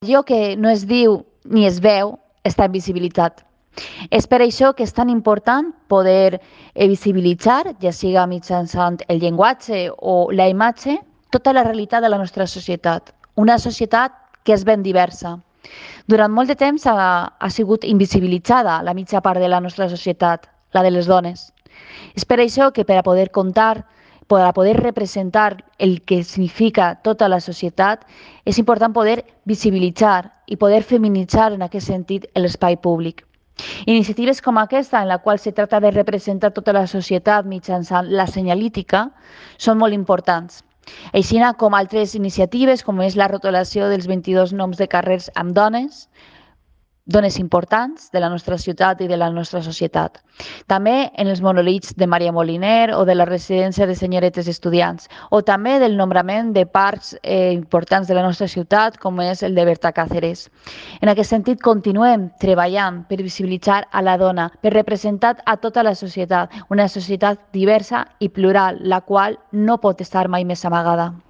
allò que no es diu ni es veu està invisibilitzat. És per això que és tan important poder visibilitzar, ja siga mitjançant el llenguatge o la imatge, tota la realitat de la nostra societat. Una societat que és ben diversa. Durant molt de temps ha sigut invisibilitzada la mitja part de la nostra societat, la de les dones. És per això que per a poder contar, per a poder representar el que significa tota la societat, és important poder visibilitzar i poder feminitzar en aquest sentit l'espai públic. Iniciatives com aquesta, en la qual se tracta de representar tota la societat mitjançant la senyalítica, són molt importants. Així com altres iniciatives, com és la rotulació dels 22 noms de carrers amb dones importants de la nostra ciutat i de la nostra societat. També en els monolits de Maria Moliner o de la residència de senyoretes estudiants, o també del nombrament de parcs importants de la nostra ciutat, com és el de Berta Cáceres. En aquest sentit, continuem treballant per visibilitzar a la dona, per representar a tota la societat, una societat diversa i plural, la qual no pot estar mai més amagada.